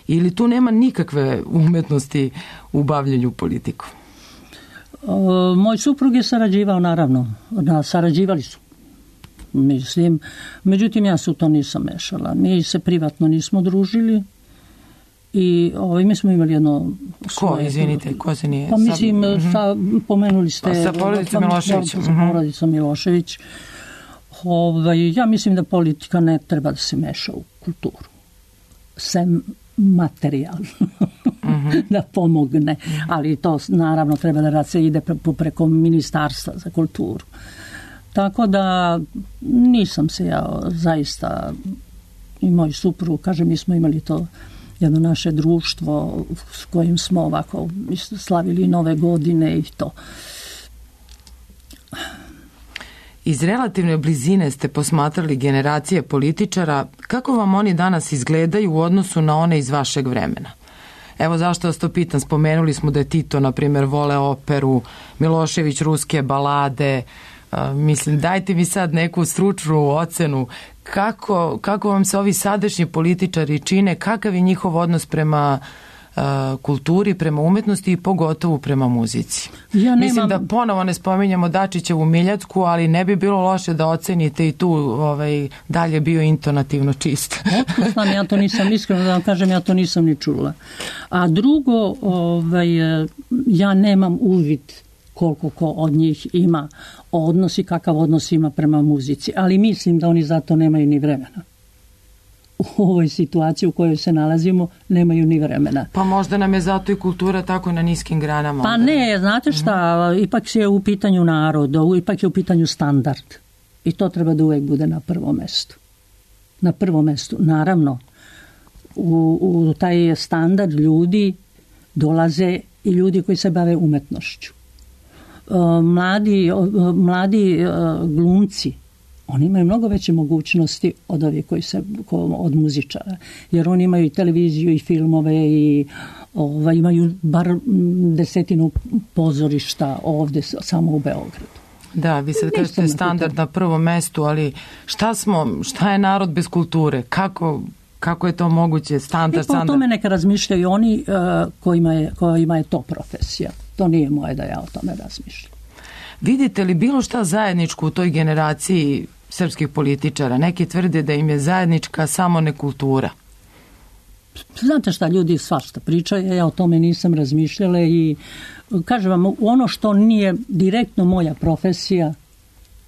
ili tu nema nikakve umetnosti u bavljenju politiku? O, moj suprug je sarađivao, naravno. Da, sarađivali su. Mislim, međutim ja se u to nisam mešala. Mi se privatno nismo družili i ovaj, mi smo imali jedno... Ko, svoje, izvinite, ko se nije... Pa mislim, sa, sa, pomenuli ste... A sa porodicom Milošević. Sa porodicom Milošević. Ovaj, ja mislim da politika ne treba da se meša u kulturu. Sem materijalno. Uh-huh. Da pomogne. Uh-huh. Ali to naravno treba da se ide pre, preko ministarstva za kulturu. Tako da nisam se ja zaista i moj suprug, kažem, mi smo imali to jedno naše društvo s kojim smo ovako slavili nove godine i to. Iz relativne blizine ste posmatrali generacije političara. Kako vam oni danas izgledaju u odnosu na one iz vašeg vremena? Evo zašto vas to pitam. Spomenuli smo da je Tito, na primjer, vole operu, Milošević ruske balade. Uh, mislim, dajte mi sad neku stručnu ocenu. Kako, kako vam se ovi sadašnji političari čine? Kakav je njihov odnos prema uh, kulturi, prema umetnosti i pogotovo prema muzici? Ja nemam... Mislim da ponovo ne spominjamo Dačićevu Miljacku, ali ne bi bilo loše da ocenite i tu ovaj, dalje bio intonativno čist. Otko ja to nisam, iskreno da vam kažem, ja to nisam ni čula. A drugo, ovaj, ja nemam uvid koliko ko od njih ima odnos i kakav odnos ima prema muzici. Ali mislim da oni zato nemaju ni vremena. U ovoj situaciji u kojoj se nalazimo nemaju ni vremena. Pa možda nam je zato i kultura tako na niskim granama. Pa onda. Ne, znate šta, mm-hmm. ipak je u pitanju narod, ipak je u pitanju standard. I to treba da uvek bude na prvom mestu. Na prvom mestu. Naravno, u, u taj standard ljudi dolaze i ljudi koji se bave umetnošću. Mladi, mladi glumci, oni imaju mnogo veće mogućnosti od ovih koji se, od muzičara. Jer oni imaju i televiziju i filmove i ovaj, imaju bar desetinu pozorišta ovde samo u Beogradu. Da, vi sad kažete standard na prvom mestu, ali šta smo, šta je narod bez kulture? Kako, kako je to moguće? Standard, e, pa o tome neka razmišljaju oni uh, kojima, je, kojima je to profesija. To nije moje da ja o tome razmišljam. Vidite li bilo šta zajedničko u toj generaciji srpskih političara? Neki tvrde da im je zajednička samo nekultura. Znate šta, ljudi svašta pričaju, ja o tome nisam razmišljala i kažem vam, ono što nije direktno moja profesija,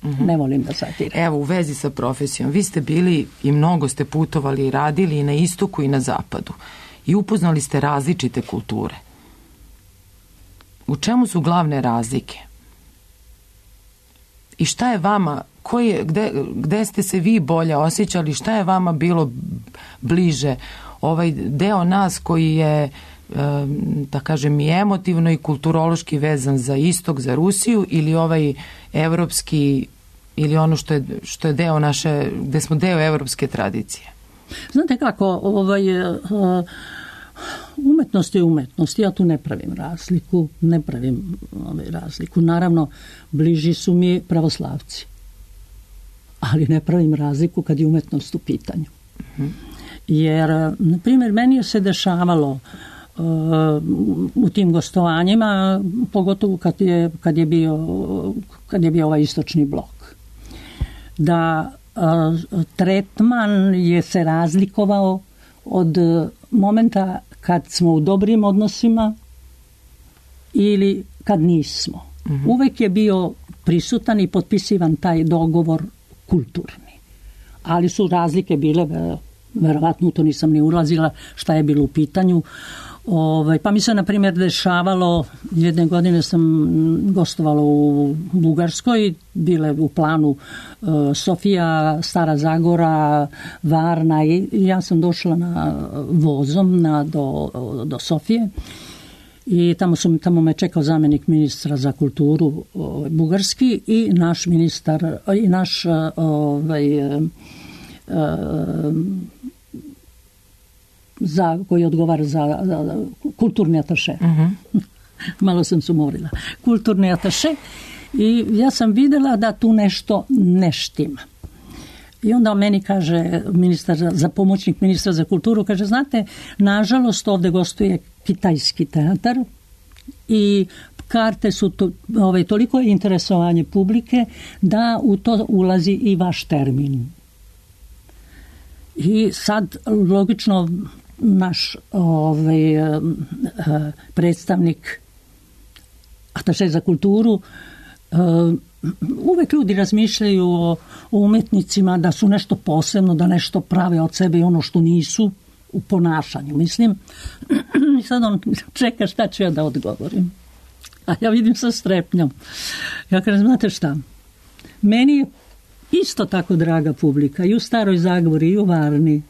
mm-hmm. ne volim da zatirem. Evo, u vezi sa profesijom, vi ste bili i mnogo ste putovali i radili i na istoku i na zapadu i upoznali ste različite kulture. U čemu su glavne razlike? I šta je vama, koji je, gde, gde ste se vi bolje osjećali, šta je vama bilo bliže? Ovaj deo nas koji je, da kažem, i emotivno i kulturološki vezan za istok, za Rusiju, ili ovaj evropski, ili ono što je, što je deo naše, gde smo deo evropske tradicije? Znate kako, ovaj, umetnost je umetnost, ja tu ne pravim razliku, ne pravim ovaj, razliku. Naravno, bliži su mi pravoslavci, ali ne pravim razliku kad je umetnost u pitanju. Mhm. Jer, na primjer, meni je se dešavalo uh, u tim gostovanjima, pogotovo kad je, kad je, bio, kad je bio ovaj istočni blok, da uh, tretman je se razlikovao od momenta kad smo u dobrim odnosima ili kad nismo. Mm-hmm. Uvek je bio prisutan i potpisivan taj dogovor kulturni. Ali su razlike bile, verovatno to nisam ni ulazila šta je bilo u pitanju. Ovaj, pa mi se, na primjer, dešavalo, jedne godine sam gostovala u Bugarskoj, bile u planu uh, Sofija, Stara Zagora, Varna i ja sam došla na vozom na, do, do Sofije i tamo, su, tamo me čekao zamjenik ministra za kulturu uh, bugarski i naš ministar, i naš uh, ovaj, uh, za, koji odgovara za, za, za kulturni ataše. Uh-huh. Malo sam sumorila. Kulturni ataše i ja sam videla da tu nešto ne štima. I onda meni kaže ministar, za pomoćnik ministra za kulturu, kaže, znate, nažalost ovde gostuje kitajski teatar i karte su to, ovaj, toliko interesovanje publike da u to ulazi i vaš termin. I sad, logično, naš ovaj, predstavnik ataše za kulturu, uvek ljudi razmišljaju o, o umetnicima da su nešto posebno, da nešto prave od sebe i ono što nisu u ponašanju, mislim. I sad on čeka šta ću ja da odgovorim. A ja vidim sa strepnjom. Ja kažem, znate šta, meni je isto tako draga publika i u Staroj Zagori i u Varni.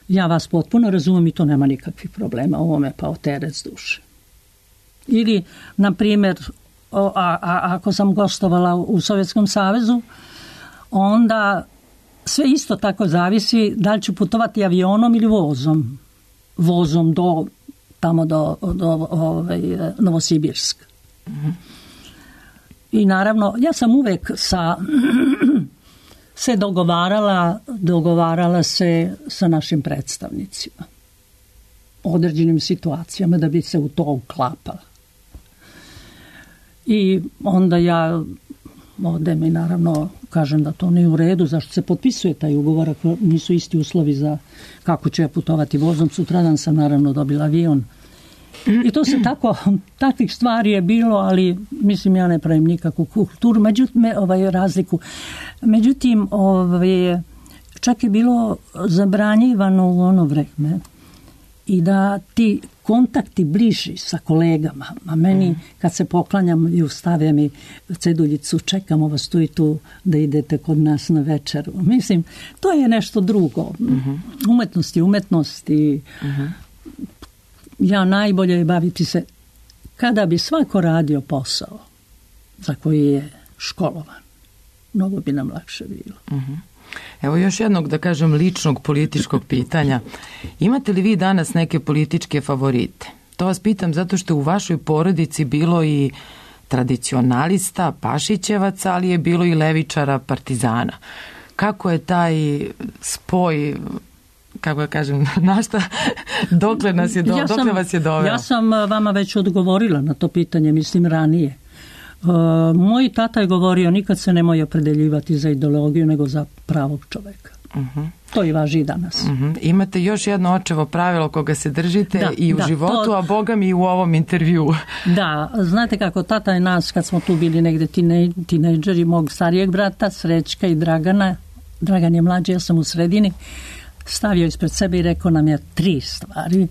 Ja vas potpuno razumem i to nema nikakvih problema. Ovo me pa oterec duše. Ili, na primjer, a, a, ako sam gostovala u Sovjetskom savezu, onda sve isto tako zavisi da li ću putovati avionom ili vozom. Vozom do, tamo do, do ovaj, Novosibirska. Mhm. I naravno, ja sam uvek sa, se dogovarala, dogovarala se sa našim predstavnicima. Određenim situacijama da bi se u to uklapala. I onda ja odem i naravno kažem da to nije u redu, zašto se potpisuje taj ugovor ako nisu isti uslovi za kako ću ja putovati vozom. Sutradan sam naravno dobila avion I to se tako, takvih stvari je bilo, ali mislim ja ne pravim nikakvu kulturu, međutim, ovaj, razliku. Međutim, ovaj, čak je bilo zabranjivano u ono vreme i da ti kontakti bliži sa kolegama, a meni kad se poklanjam i ustave mi ceduljicu, čekamo vas tu i tu da idete kod nas na večeru. Mislim, to je nešto drugo. Umetnost i umetnost i ja najbolje je baviti se kada bi svako radio posao za koji je školovan. Mnogo bi nam lakše bilo. Evo još jednog, da kažem, ličnog političkog pitanja. Imate li vi danas neke političke favorite? To vas pitam zato što u vašoj porodici bilo i tradicionalista, pašićevaca, ali je bilo i levičara, partizana. Kako je taj spoj, kako ja kažem, na šta, dokle, nas je do, ja sam, dokle vas je doveo? Ja sam vama već odgovorila na to pitanje, mislim ranije. Uh, moj tata je govorio nikad se nemoj opredeljivati za ideologiju nego za pravog čoveka. Uh-huh. To i važi danas. Uh-huh. Imate još jedno očevo pravilo koga se držite da, i u da, životu, to... a Boga mi i u ovom intervjuu. Da, znate kako tata je nas kad smo tu bili negde tine, tinejdžeri, mog starijeg brata, Srećka i Dragana, Dragan je mlađi, ja sam u sredini, stavio ispred sebe i rekao nam je tri stvari.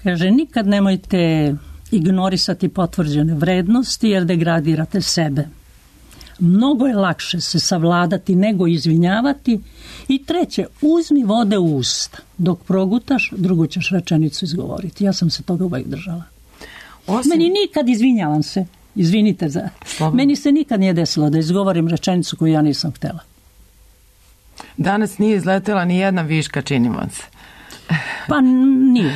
Kaže, nikad nemojte ignorisati potvrđene vrednosti jer degradirate sebe. Mnogo je lakše se savladati nego izvinjavati. I treće, uzmi vode u usta. Dok progutaš, drugu ćeš rečenicu izgovoriti. Ja sam se toga uvijek držala. Osim... Meni nikad, izvinjavam se, izvinite za... Slobodno. Meni se nikad nije desilo da izgovorim rečenicu koju ja nisam htjela. Danas nije izletela ni jedna viška, čini vam se. Pa nije.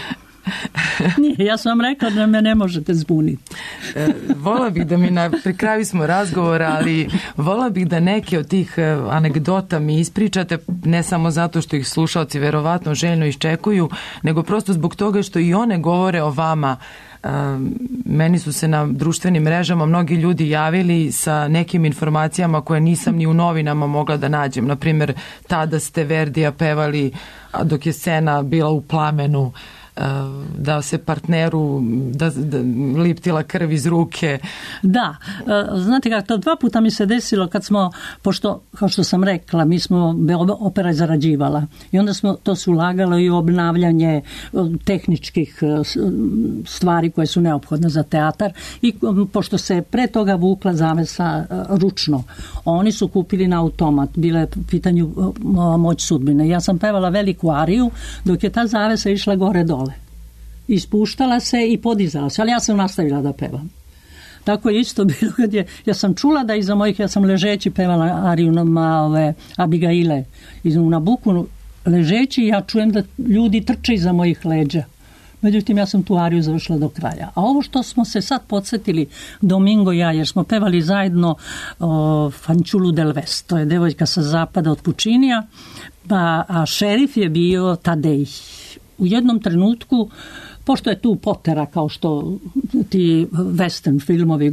Nije, ja sam vam rekla da me ne možete zbuniti. E, vola bih da mi, na, pri kraju smo razgovora, ali vola bih da neke od tih anegdota mi ispričate, ne samo zato što ih slušalci verovatno željno iščekuju, nego prosto zbog toga što i one govore o vama. E, meni su se na društvenim mrežama mnogi ljudi javili sa nekim informacijama koje nisam ni u novinama mogla da nađem. Naprimjer, tada ste Verdija pevali dok je scena bila u plamenu, da se partneru da, da liptila krv iz ruke. Da, znate kako, to dva puta mi se desilo kad smo, pošto, kao što sam rekla, mi smo, opera je zarađivala i onda smo to se ulagalo i u obnavljanje tehničkih stvari koje su neophodne za teatar i pošto se pre toga vukla zavesa ručno, oni su kupili na automat, bila je pitanju Moć sudbine. Ja sam pevala veliku ariju dok je ta zavesa išla gore dole. Ispuštala se i podizala se, ali ja sam nastavila da pevam. Tako je isto bilo kad je, ja sam čula da iza mojih, ja sam ležeći pevala ariju na ove Abigaile iz Nabuku, ležeći ja čujem da ljudi trče iza mojih leđa. Međutim, ja sam tu ariju završila do kraja. A ovo što smo se sad podsjetili, Domingo i ja, jer smo pevali zajedno o, Fanciullu del West, to je devojka sa zapada od Pučinija, pa, a šerif je bio Tadej. U jednom trenutku, pošto je tu Potera, kao što ti western filmovi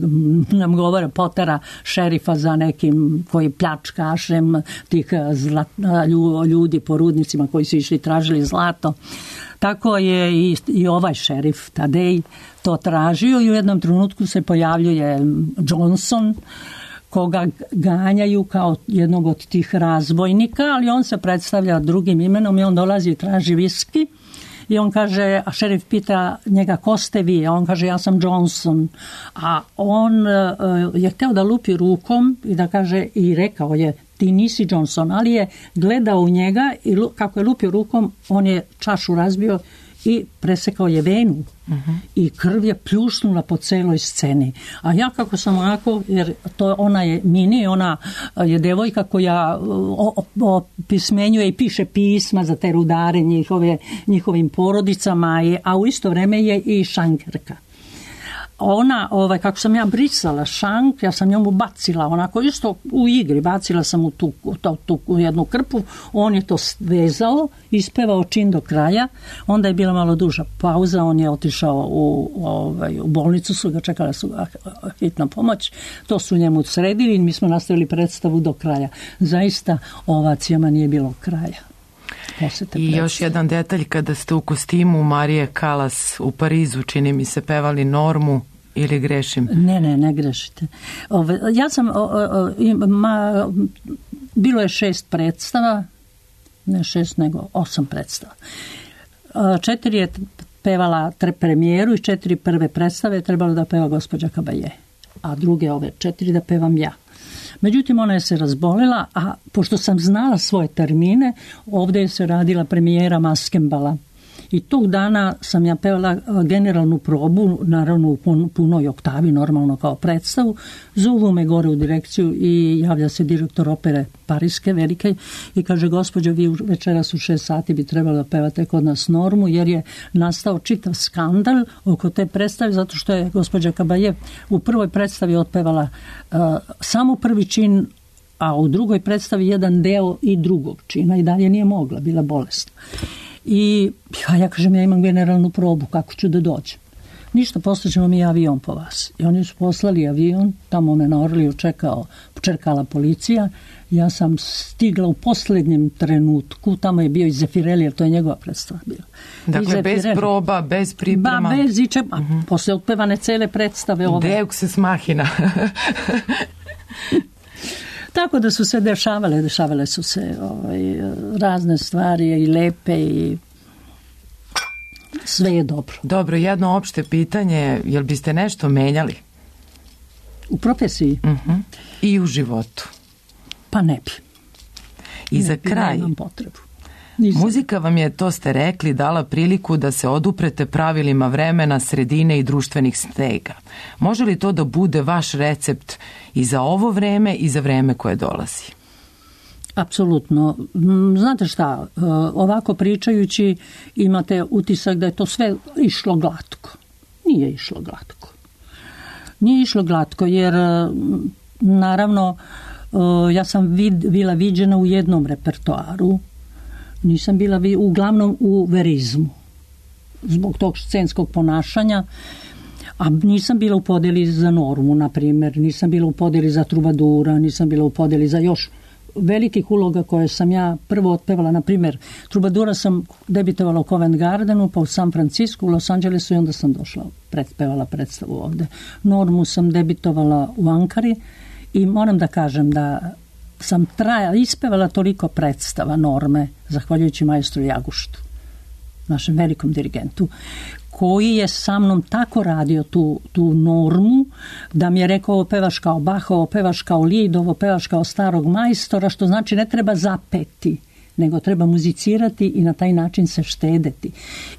nam govore, Potera, šerifa za nekim koji pljačkašem tih zlat, ljudi po rudnicima koji su išli tražili zlato. Tako je i, i ovaj šerif Tadej to tražio i u jednom trenutku se pojavljuje Johnson, koga ganjaju kao jednog od tih razbojnika, ali on se predstavlja drugim imenom i on dolazi i traži viski. I on kaže, a šerif pita njega ko ste vi, a on kaže ja sam Johnson, a on uh, je htio da lupi rukom i da kaže i rekao je ti nisi Johnson, ali je gledao u njega i kako je lupio rukom on je čašu razbio i presekao je venu uh-huh. i krv je pljušnula po celoj sceni. A ja kako sam onako, jer to ona je mini, ona je devojka koja opismenjuje i piše pisma za te rudare njihove, njihovim porodicama, a u isto vreme je i šankerka. Ona, ovaj, kako sam ja brisala šank, ja sam njemu bacila, onako isto u igri, bacila sam u tu, tu, tu u jednu krpu, on je to vezao, ispevao čin do kraja, onda je bila malo duža pauza, on je otišao u, ovaj, u bolnicu, su ga čekala su hitna pomoć, to su njemu sredili i mi smo nastavili predstavu do kraja. Zaista ovacijama nije bilo kraja. posete I predstave. još jedan detalj, kada ste u kostimu Marije Kalas u Parizu, čini mi se, pevali Normu, ili grešim? Ne, ne, ne grešite. Ove, ja sam, o, o, ma, bilo je šest predstava, ne šest, nego osam predstava. Četiri je pevala premijeru i četiri prve predstave je trebalo da peva gospođa Kabaje, a druge ove četiri da pevam ja. Međutim, ona je se razbolila, a pošto sam znala svoje termine, ovdje je se radila premijera Maskembala. I tog dana sam ja pevala generalnu probu, naravno u punoj oktavi, normalno kao predstavu. Zovu me gore u direkciju i javlja se direktor opere Pariske, velike, i kaže, gospođo, vi večeras u šest sati bi trebalo da pevate kod nas Normu, jer je nastao čitav skandal oko te predstave, zato što je gospođa Kabaje u prvoj predstavi otpevala uh, samo prvi čin, a u drugoj predstavi jedan deo i drugog čina i dalje nije mogla, bila bolesna. I ja, ja kažem, ja imam generalnu probu, kako ću da dođem? Ništa, poslaćemo mi avion po vas. I oni su poslali avion, tamo me na Orliju čekao, čekala policija. Ja sam stigla u posljednjem trenutku, tamo je bio i Zefirelli, jer to je njegova predstava bila. Dakle, bez proba, bez priprema. Ba, bez iče, a uh-huh. posle otpevane cele predstave ove. Deux machina. Tako da su se dešavale, dešavale su se ovaj, razne stvari i lepe i sve je dobro. Dobro, jedno opšte pitanje, jel biste nešto menjali? U profesiji? Uh-huh. I u životu? Pa ne bi. I ne za bi, kraj, nemam potrebu. Nisam. Muzika vam je, to ste rekli, dala priliku da se oduprete pravilima vremena, sredine i društvenih stega. Može li to da bude vaš recept i za ovo vreme i za vreme koje dolazi? Apsolutno. Znate šta, ovako pričajući imate utisak da je to sve išlo glatko. Nije išlo glatko. Nije išlo glatko jer naravno ja sam vid, bila viđena u jednom repertoaru. Nisam bila vi, uglavnom u verizmu zbog tog scenskog ponašanja, a nisam bila u podeli za Normu, na primjer, nisam bila u podeli za Trubadura, nisam bila u podeli za još velikih uloga koje sam ja prvo otpevala, na primjer, Trubadura sam debitovala u Covent Gardenu, pa u San Francisco, u Los Angelesu i onda sam došla, predpevala predstavu ovde. Normu sam debitovala u Ankari i moram da kažem da sam trajala, ispevala toliko predstava Norme, zahvaljujući majstru Jaguštu, našem velikom dirigentu, koji je sa mnom tako radio tu, tu Normu, da mi je rekao, ovo pevaš kao Bach, ovo pevaš kao Lied, ovo pevaš kao starog majstora, što znači ne treba zapeti, nego treba muzicirati i na taj način se štedeti.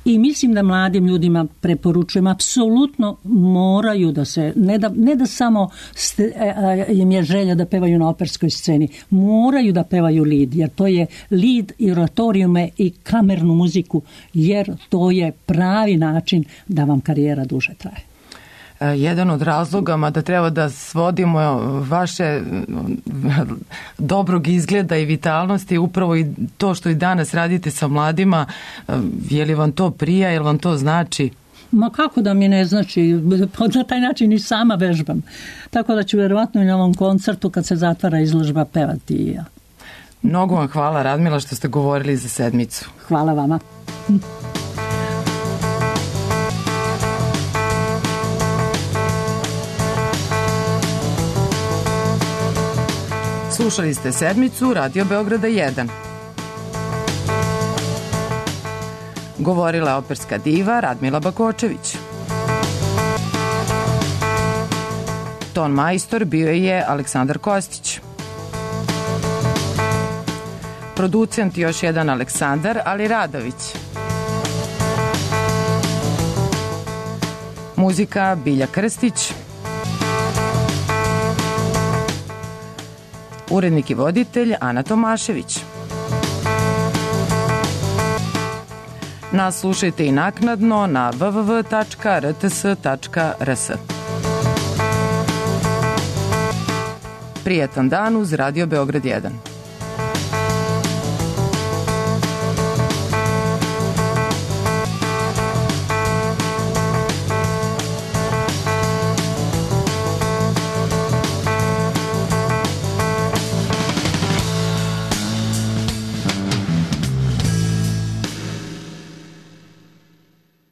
I mislim da mladim ljudima preporučujem, apsolutno moraju da se, ne da, ne da samo ste, a, im je želja da pevaju na operskoj sceni, moraju da pevaju Lied, jer to je Lied i oratorijume i kamernu muziku, jer to je pravi način da vam karijera duže traje. Jedan od razloga, mada treba da svodimo vaše dobrog izgleda i vitalnosti, upravo i to što i danas radite sa mladima, je li vam to prija, je li vam to znači? Ma kako da mi ne znači, na taj način i sama vežbam. Tako da ću vjerovatno i na ovom koncertu kad se zatvara izložba pevati i ja. Mnogo vam hvala, Radmila, što ste govorili za sedmicu. Hvala vama. Slušali ste sedmicu Radio Beograda jedan. Govorila je operska diva Radmila Bakočević. Ton majstor bio je Aleksandar Kostić. Producent još jedan Aleksandar Ali Radović. Muzika Bilja Krstić. Urednik i voditelj Ana Tomašević. Nas slušajte i naknadno na w w w tačka r t s tačka r s. Prijetan dan uz Radio Beograd jedan.